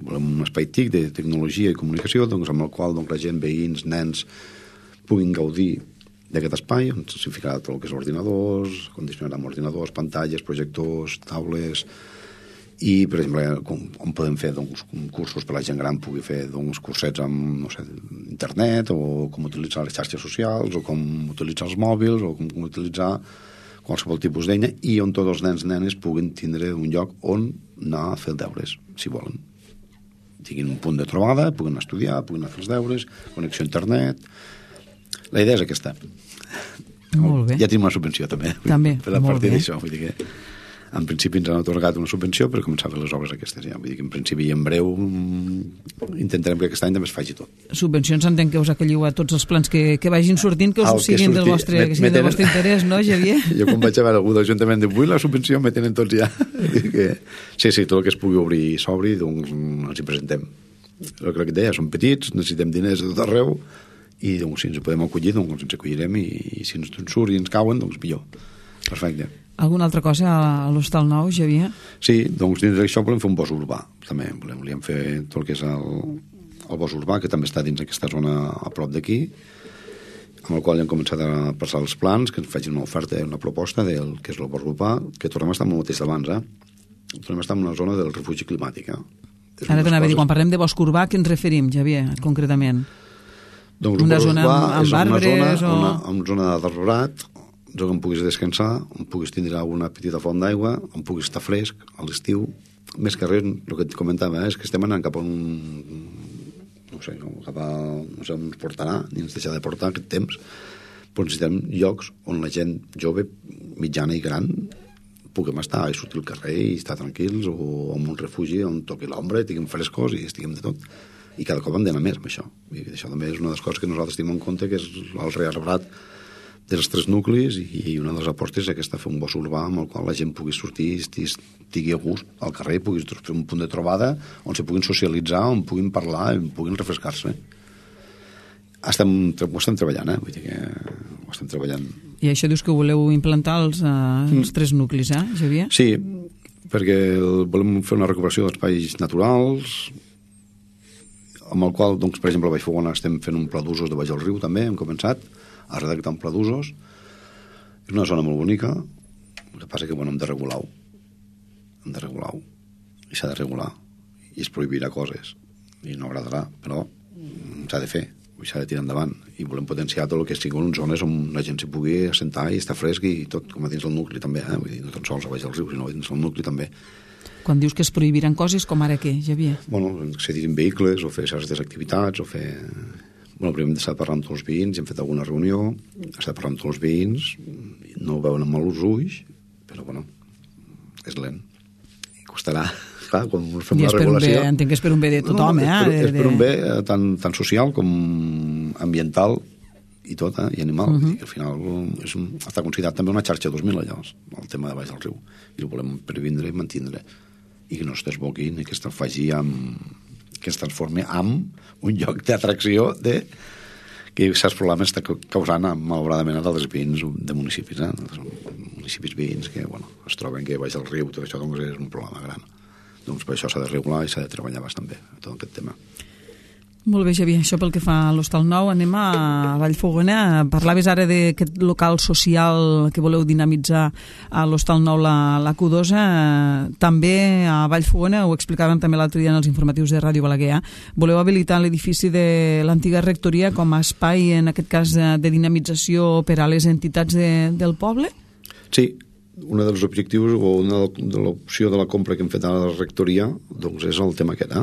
Speaker 3: Volem un espai TIC de tecnologia i comunicació, doncs, amb el qual la gent, veïns, nens, puguin gaudir d'aquest espai, on s'hi ficarà tot el que és ordinadors, condicionarà amb ordinadors, pantalles, projectors, taules... I, per exemple, on podem fer cursos per a la gent gran, pugui fer cursets amb, no sé, internet, o com utilitzar les xarxes socials, o com utilitzar els mòbils, o com utilitzar qualsevol tipus d'eina, i on tots els nens i nenes puguin tindre un lloc on anar a fer els deures, si volen. Tinguin un punt de trobada, puguin estudiar, puguin anar a fer els deures, connexió a internet... La idea és aquesta.
Speaker 2: Molt bé.
Speaker 3: Ja tenim una subvenció, també.
Speaker 2: També,
Speaker 3: per a
Speaker 2: molt
Speaker 3: partir
Speaker 2: bé.
Speaker 3: d'això, vull dir que... En principi ens han atorgat una subvenció per començar a fer les obres aquestes. Ja. Vull dir que en principi i en breu intentarem que aquest any també es faci tot.
Speaker 2: Subvencions entenc que us acolliu a tots els plans que vagin sortint, que us siguin del vostre interès, no, Javier?
Speaker 3: Jo quan vaig a veure algú de l'Ajuntament diu, vull la subvenció, me tenen tots ja. Sí, tot el que es pugui obrir i s'obri, doncs ens hi presentem. El que et deia, som petits, necessitem diners de tot arreu, i doncs, si ens podem acollir, doncs ens acollirem, i si ens surt i ens cauen, doncs millor. Perfecte.
Speaker 2: Alguna altra cosa a l'Hostal Nou, Javier?
Speaker 3: Sí, doncs dins d'això volem fer un bosc urbà, també. Volíem fer tot el que és el bosc urbà, que també està dins aquesta zona a prop d'aquí, amb el qual hem començat a passar els plans, que ens facin una oferta, una proposta del que és el bosc urbà, que tornem a estar amb el mateix d'abans, tornem a estar en una zona del refugi climàtic.
Speaker 2: Ara t'anava a dir, quan parlem de bosc urbà, què ens referim, Javier, concretament?
Speaker 3: Doncs
Speaker 2: una zona amb arbres o...
Speaker 3: Una zona d'arbrat, on puguis descansar, on puguis tindre una petita font d'aigua, on puguis estar fresc a l'estiu. Més que res, el que et comentava, és que estem anant cap a no sé on ens portarà, ni ens deixarà de portar aquest temps, però necessitem llocs on la gent jove, mitjana i gran puguem estar i sortir al carrer i estar tranquils, o en un refugi on toqui l'ombra, estiguem frescos i estiguem de tot. I cada cop hem d'anar més amb això. I això també és una de les coses que nosaltres tenim en compte, que és el rearbrat dels 3 nuclis, i una de les apostes és aquesta, fer un bosc urbà amb el qual la gent pugui sortir, estigui a gust al carrer, pugui fer un punt de trobada on se puguin socialitzar, on puguin parlar, on puguin refrescar-se. Ho estem treballant, vull dir que ho estem treballant.
Speaker 2: I això dius que voleu implantar els 3 nuclis, Javier?
Speaker 3: Sí, perquè volem fer una recuperació d'espais naturals, amb el qual, doncs, per exemple, a Vallfogona estem fent un pla d'usos de baix al riu, també, hem començat a redactar un pla d'usos. És una zona molt bonica, el que passa que, hem de regular-ho. I s'ha de regular. I es prohibirà coses. I no agradarà, però s'ha de fer, s'ha de tirar endavant. I volem potenciar tot el que siguin zones on la gent s'hi pugui assentar i estar fresc, i tot, com a dins del nucli també, vull dir, no tan sols a baix al riu, sinó dins del nucli també.
Speaker 2: Quan dius que es prohibiran coses, com ara què, Javier?
Speaker 3: Accedir en vehicles, o fer certes activitats, o fer... primer hem estat parlant amb tots els veïns, hem fet alguna reunió, hem estat parlant amb tots els veïns, no ho veuen amb els ulls, però, és lent. I costarà, clar, quan fem la regulació...
Speaker 2: Entenc que és per un bé de tothom,
Speaker 3: És per un bé tant social com ambiental i tot, i animal. I al final està considerat també una xarxa 2000, allò, el tema de baix del riu. I ho volem previndre i mantindre. I que no es desboqui, ni que es transformi en un lloc d'atracció que certs problemes està causant malauradament a altres veïns de municipis, municipis veïns que es troben que baix del riu, tot això doncs és un problema gran. Doncs per això s'ha de regular i s'ha de treballar bastant bé tot aquest tema.
Speaker 2: Molt bé, Javier, això pel que fa a l'Hostal Nou. Anem a Vallfogona. Parlaves ara d'aquest local social que voleu dinamitzar a l'Hostal Nou, la Q2. També a Vallfogona, ho explicàvem també l'altre dia en els informatius de Ràdio Balaguer, voleu habilitar l'edifici de l'antiga rectoria com a espai, en aquest cas, de dinamització per a les entitats del poble?
Speaker 3: Sí, un dels objectius o una de l'opció de la compra que hem fet a la rectoria doncs és el tema aquest,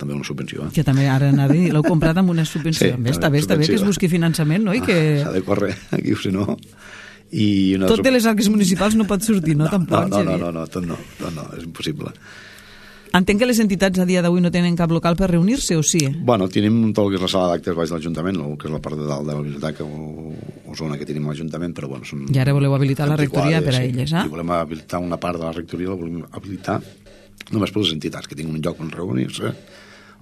Speaker 3: també una subvenció.
Speaker 2: Que també ara anava a dir, l'heu comprat amb una subvenció.
Speaker 3: Sí,
Speaker 2: està bé que es busqui finançament, no?
Speaker 3: S'ha de córrer aquí, o si no...
Speaker 2: Tot de les arques municipals no pot sortir, no? Tampoc,
Speaker 3: no, tot no, és impossible.
Speaker 2: Entenc que les entitats a dia d'avui no tenen cap local per reunir-se, o sí?
Speaker 3: Bueno, tenim tot el que és la sala d'actes baix de l'Ajuntament, el que és la part de dalt de la biblioteca o zona que tenim a l'Ajuntament, però bueno...
Speaker 2: I ara voleu habilitar la rectoria per a elles, eh?
Speaker 3: I volem habilitar una part de la rectoria, la volem habilitar només per les entitats, que tinguin un lloc on reunir-se,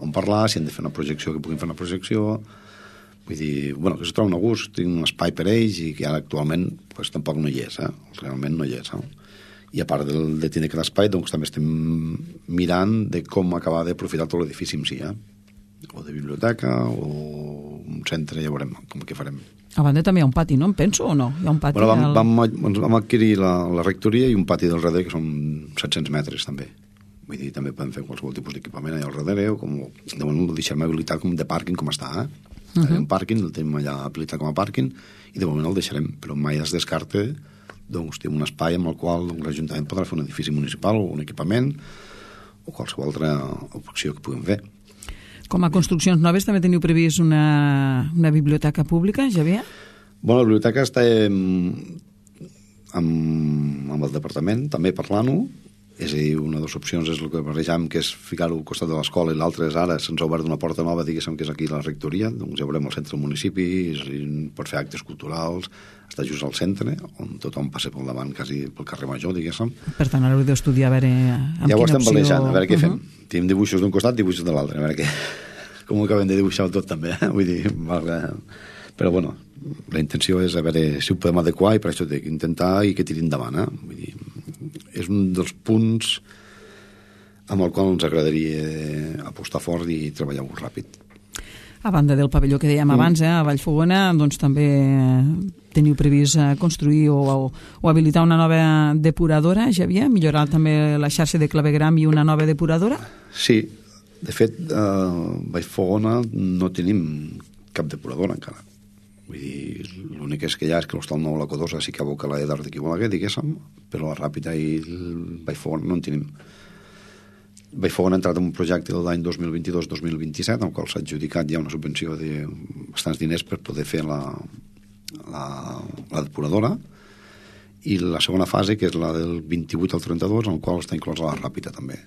Speaker 3: on parlar, si han de fer una projecció, que puguin fer una projecció... Vull dir, bueno, que es troben a gust, tinc un espai per ells i que ara actualment pues, tampoc no hi és, realment no hi és, I a part de tenir aquest espai, doncs també estem mirant de com acabar d'aprofitar tot l'edifici en si, o de biblioteca o un centre, ja veurem com que farem.
Speaker 2: A banda també hi ha un pati, no? Em penso o no? Hi ha un pati
Speaker 3: vam adquirir la rectoria i un pati del darrere que són 700 metres també. Vull dir, també podem fer qualsevol tipus d'equipament allà al darrere o com, de moment ho deixem habilitat com de pàrquing com està, un pàrquing, el tenim allà habilitat com a pàrquing i de moment el deixarem, però mai es descarta doncs té un espai amb el qual l'Ajuntament podrà fer un edifici municipal o un equipament o qualsevol altra opció que puguem fer.
Speaker 2: Com a construccions noves també teniu previst una biblioteca pública, Xavier?
Speaker 3: Bueno, la biblioteca està amb el departament també parlant-ho. És a dir, una de les opcions és el que barrejam, que és ficar-ho al costat de l'escola, i l'altra és ara, se'ns ha obert una porta nova, diguéssim, que és aquí la rectoria, doncs ja veurem al centre del municipi, pot fer actes culturals, està just al centre, on tothom passa pel davant, quasi pel carrer Major, diguéssim.
Speaker 2: Per tant, ara heu d'estudiar a veure amb
Speaker 3: ja
Speaker 2: quina opció...
Speaker 3: Ja ho estem barrejant, a veure què fem. Tenim dibuixos d'un costat, dibuixos de l'altre, a veure què... com ho acabem de dibuixar tot també, vull dir... Però, bueno, la intenció és a veure si ho podem adequar i per això he d'intentar i que tiri endavant, Vull dir, és un dels punts amb el qual ens agradaria apostar fort i treballar molt ràpid.
Speaker 2: A banda del pavelló que dèiem abans, a Vallfogona, doncs també teniu previst construir o habilitar una nova depuradora, Xavier? Millorar també la xarxa de clavegram i una nova depuradora?
Speaker 3: Sí, de fet, a Vallfogona no tenim cap depuradora encara. Vull dir, l'únic és que hi ha és que l'Hostal Nou, la Codosa, sí que aboca la d'Art d'aquí Balaguer, diguéssim, però la Ràpita i el Vallfogona no en tenim. Vallfogona ha entrat en un projecte de l'any 2022-2027, en el qual s'ha adjudicat ja una subvenció de bastants diners per poder fer la depuradora, i la segona fase, que és la del 28 al 32, en el qual està inclosa la Ràpita també.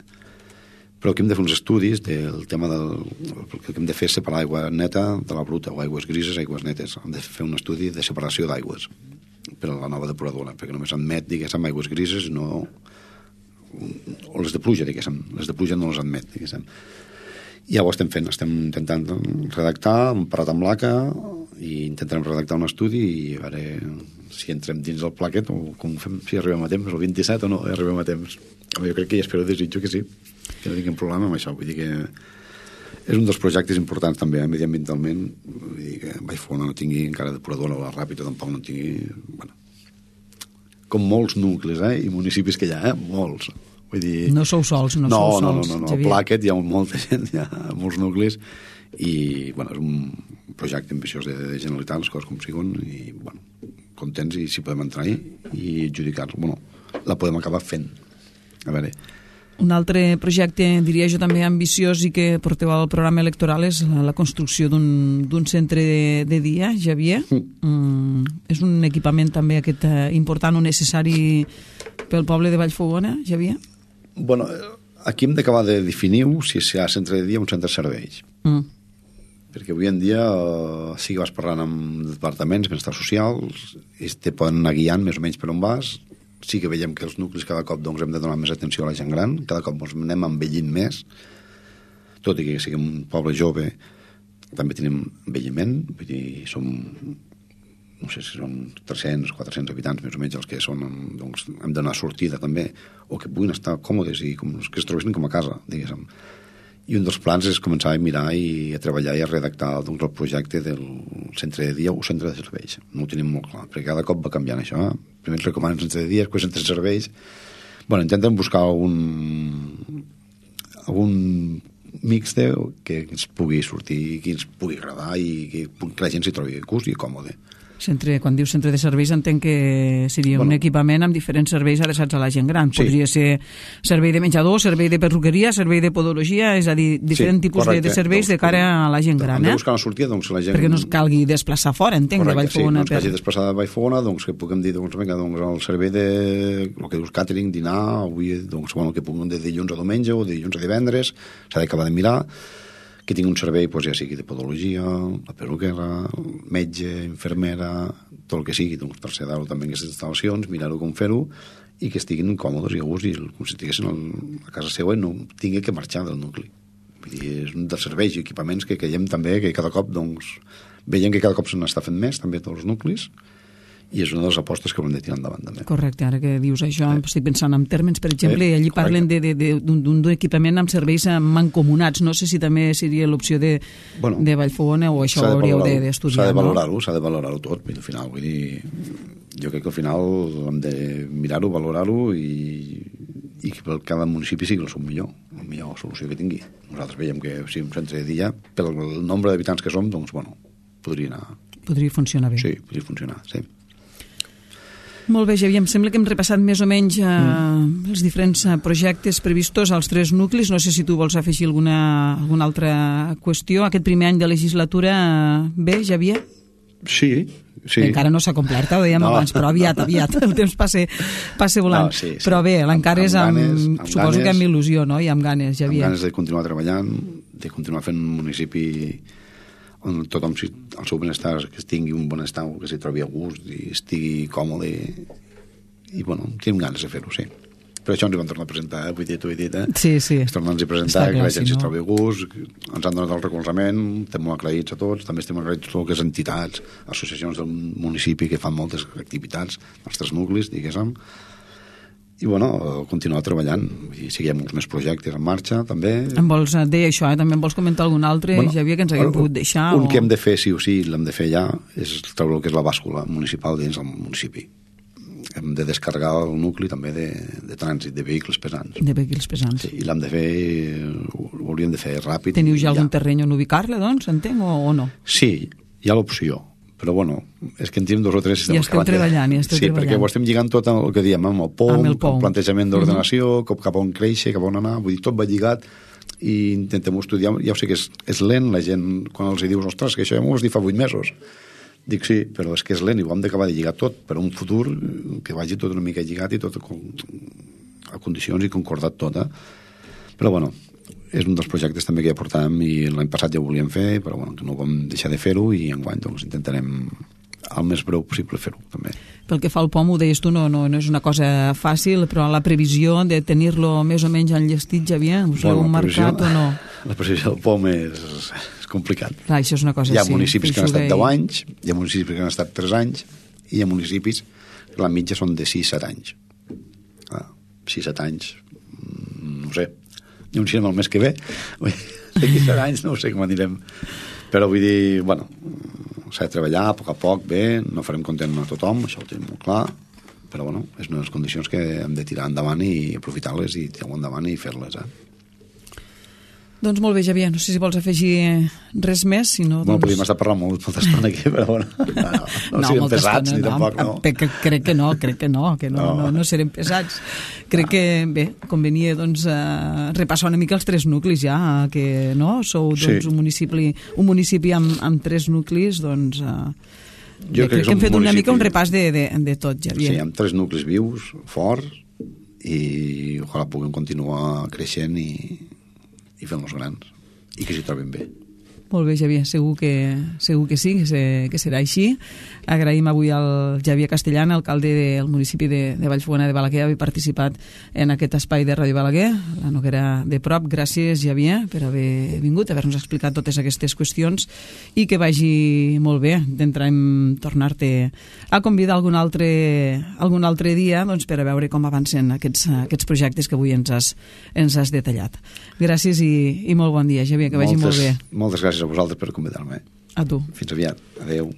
Speaker 3: Però aquí hem de fer uns estudis del tema del... El que hem de fer és separar aigua neta de la bruta, o aigües grises, aigües netes. Hem de fer un estudi de separació d'aigües per a la nova depuradora, perquè només admet, diguéssim, aigües grises, no... o les de pluja, diguéssim. Les de pluja no les admet, diguéssim. I ja ho estem fent, estem intentant redactar, hem parat amb l'ACA, i intentarem redactar un estudi i a veure si entrem dins del plaquet o com fem, si arribem a temps, el 27 o no arribem a temps. Jo crec que ja espero, desitjo que sí, que no tinguem problema amb això. Vull dir que és un dels projectes importants també, mediambientalment. Vull dir que Vallfogona no tingui encara depuradora, o la Ràpita tampoc no tingui... Bueno, com molts nuclis, i municipis que hi ha, molts. Vull dir...
Speaker 2: No sou sols, no sou sols.
Speaker 3: No. A Plaquet hi ha molta gent, hi ha molts nuclis, i bueno, és un projecte ambiciós de Generalitat, les coses com siguen, i bueno, contents, i si podem entrar-hi i adjudicar-lo. Bueno, la podem acabar fent. A veure...
Speaker 2: Un altre projecte, diria jo, també ambiciós i que porteu al programa electoral és la construcció d'un centre de dia, Xavier. És un equipament també aquest important o necessari pel poble de Vallfogona, Xavier?
Speaker 3: Bueno, aquí hem d'acabar de definir-ho si hi ha centre de dia o un centre de serveis. Perquè avui en dia sí que vas parlant amb departaments, benestar socials, i te poden anar guiant més o menys per on vas. Sí que veiem que els nuclis cada cop doncs, hem de donar més atenció a la gent gran, cada cop ens anem envellint més, tot i que siguem un poble jove, també tenim envelliment, vull dir, som, no sé si són 300, 400 habitants més o menys els que són, doncs hem de donar sortida també, o que puguin estar còmodes i que es trobessin com a casa, diguéssim. I un dels plans és començar a mirar i a treballar i a redactar doncs, el projecte del centre de dia o centre de serveis. No ho tenim molt clar, perquè cada cop va canviant això. Primer ens recomanen centre de dia, després centre de serveis. Bueno, intentem buscar algun mix que ens pugui sortir, que ens pugui agradar i que la gent s'hi trobi a gust i còmode.
Speaker 2: Quan dius centre de serveis entenc que seria un equipament amb diferents serveis adreçats a la gent gran. Podria ser servei de menjador, servei de perruqueria, servei de podologia, és a dir, diferents tipus de serveis de cara a la gent gran.
Speaker 3: Hem de buscar una sortida, doncs, la gent...
Speaker 2: Perquè no es calgui desplaçar fora, entenc, de Vallfogona.
Speaker 3: Sí, no es calgui desplaçar de Vallfogona, doncs que puguem dir, doncs, vinga, doncs, el servei de, el que dius, catering, dinar, avui, doncs, bueno, que puguem de dilluns a diumenge o de dilluns a divendres, s'ha d'acabar de mirar, que tingui un servei, doncs, ja sigui de podologia, la perruquera, metge, infermera, tot el que sigui, doncs, traslladar-ho també en aquestes instal·lacions, mirar-ho com fer-ho, i que estiguin còmodes i a gust, i com si estiguessin a casa seva i no tingui que marxar del nucli. Vull dir, és un dels serveis i equipaments que creiem també que cada cop, doncs, veiem que cada cop se n'està fent més, també tots els nuclis, i és una de les apostes que haurem de tirar endavant també.
Speaker 2: Correcte, ara que dius això, estic pensant en termes, per exemple, allí parlen d'un equipament amb serveis mancomunats, no sé si també seria l'opció de Vallfogona o això ho hauríeu d'estudiar.
Speaker 3: S'ha de valorar-ho tot, al final, vull dir, jo crec que al final hem de mirar-ho, valorar-ho i que per cada municipi sigui la millor solució que tingui. Nosaltres veiem que si un centre de dia, pel nombre d'habitants que som, doncs, bueno, podria anar...
Speaker 2: Podria funcionar bé.
Speaker 3: Sí, podria funcionar, sí.
Speaker 2: Molt bé, Xavier, em sembla que hem repassat més o menys els diferents projectes previstos als 3 nuclis. No sé si tu vols afegir alguna altra qüestió. Aquest primer any de legislatura, bé, Xavier?
Speaker 3: Sí.
Speaker 2: Encara no s'ha complert, ho dèiem abans, però aviat, el temps passa volant.
Speaker 3: No, sí.
Speaker 2: Però bé, l'encara és suposo que amb il·lusió, no? I amb ganes, Xavier.
Speaker 3: Amb ganes de continuar treballant, de continuar fent un municipi on tothom, el seu benestar, que tingui un benestar, que s'hi trobi a gust i estigui còmode i bueno, tenim ganes de fer-ho, sí. Per això ens hi van tornar a presentar, vull dir, t'ho he dit,
Speaker 2: Sí.
Speaker 3: Es tornen a presentar, que la gent s'hi trobi a gust, ens han donat el recolzament, estem molt agraïts a tots, també estem agraïts a totes les entitats, associacions del municipi que fan moltes activitats, els 3 nuclis, diguéssim, i bueno, continuar treballant, i siguem uns més projectes en marxa també.
Speaker 2: Em vols dir això, també em vols comentar algun altre, Xavier, que ens haguem pogut deixar?
Speaker 3: Un que hem de fer sí o sí, l'hem de fer ja, és treure el que és la bàscula municipal dins del municipi. Hem de descarregar el nucli també de trànsit, de vehicles pesants.
Speaker 2: De vehicles pesants.
Speaker 3: Sí, i l'hem de fer, ho hauríem de fer ràpid.
Speaker 2: Teniu ja algun terreny on ubicar-la, doncs, entenc, o no?
Speaker 3: Sí, hi ha l'opció. Però bueno, és que en tenim 2 o 3...
Speaker 2: Ja esteu treballant.
Speaker 3: Sí, perquè ho estem lligant tot amb el que diem, amb el POM, el plantejament d'ordenació, cap on créixer, cap on anar, vull dir, tot va lligat i intentem estudiar. Ja ho sé que és lent, la gent, quan els dius, ostres, que això ja m'ho has dit fa 8 mesos. Dic sí, però és que és lent i ho hem d'acabar de lligar tot per un futur que vagi tot una mica lligat i tot a condicions i concordat tot, Però bueno, és un dels projectes també que ja portàvem i l'any passat ja ho volíem fer, però bueno, que no vam deixar de fer-ho i enguany doncs intentarem el més breu possible fer-ho també.
Speaker 2: Pel que fa al POM, ho deies tu, no és una cosa fàcil, però la previsió de tenir-lo més o menys enllestit, Xavier, us l'heu marcat o no?
Speaker 3: La previsió del POM és complicat.
Speaker 2: Clar, això és una cosa,
Speaker 3: hi ha municipis que han estat 10 anys, hi ha municipis que han estat 3 anys i hi ha municipis que la mitja són de 6-7 anys. 6-7 anys, no sé, i un cinema el mes que ve, d'aquí 7 anys no sé com anirem, però vull dir, bueno, s'ha de treballar a poc, bé, no farem content a tothom, això ho tenim molt clar, però bueno, és una de les condicions que hem de tirar endavant i aprofitar-les i tirar endavant i fer-les,
Speaker 2: Doncs molt bé, Xavier, no sé si vols afegir res més, si no...
Speaker 3: Bueno, podríem estar parlant molta estona aquí, però bueno, no serem pesats, ni tampoc, no.
Speaker 2: Crec que no serem pesats. Crec que, bé, convenia, doncs, repassar una mica els 3 nuclis ja, que, no?, sou, doncs, un municipi amb 3 nuclis, doncs... Jo crec que hem fet una mica un repàs de tot, Xavier.
Speaker 3: Sí, amb 3 nuclis vius, forts, i ojalà puguem continuar creixent i fent-los grans, i que s'hi trobin bé.
Speaker 2: Molt bé, Xavier, segur que sí, que serà així. Agraïm avui al Xavier Castellana, alcalde del municipi de Vallfogona de Balaguer, haver participat en aquest espai de Ràdio Balaguer, la Noguera de Prop. Gràcies, Xavier, per haver vingut, haver-nos explicat totes aquestes qüestions i que vagi molt bé. Intentarem tornar-te a convidar algun altre dia, doncs, per a veure com avancen aquests projectes que avui ens has detallat. Gràcies i molt bon dia, Xavier, que vagi molt bé.
Speaker 3: Moltes gràcies a vosaltres per convidar-me.
Speaker 2: A tu.
Speaker 3: Fins aviat. Adéu.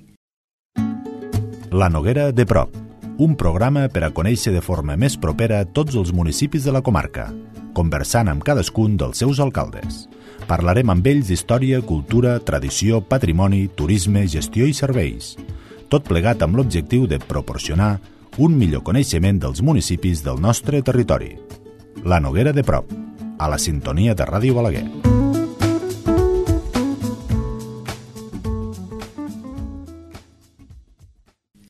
Speaker 1: La Noguera de Prop, un programa per a conèixer de forma més propera tots els municipis de la comarca, conversant amb cadascun dels seus alcaldes. Parlarem amb ells d'història, cultura, tradició, patrimoni, turisme, gestió i serveis. tot plegat amb l'objectiu de proporcionar un millor coneixement dels municipis del nostre territori. La Noguera de Prop, a la sintonia de Ràdio Balaguer.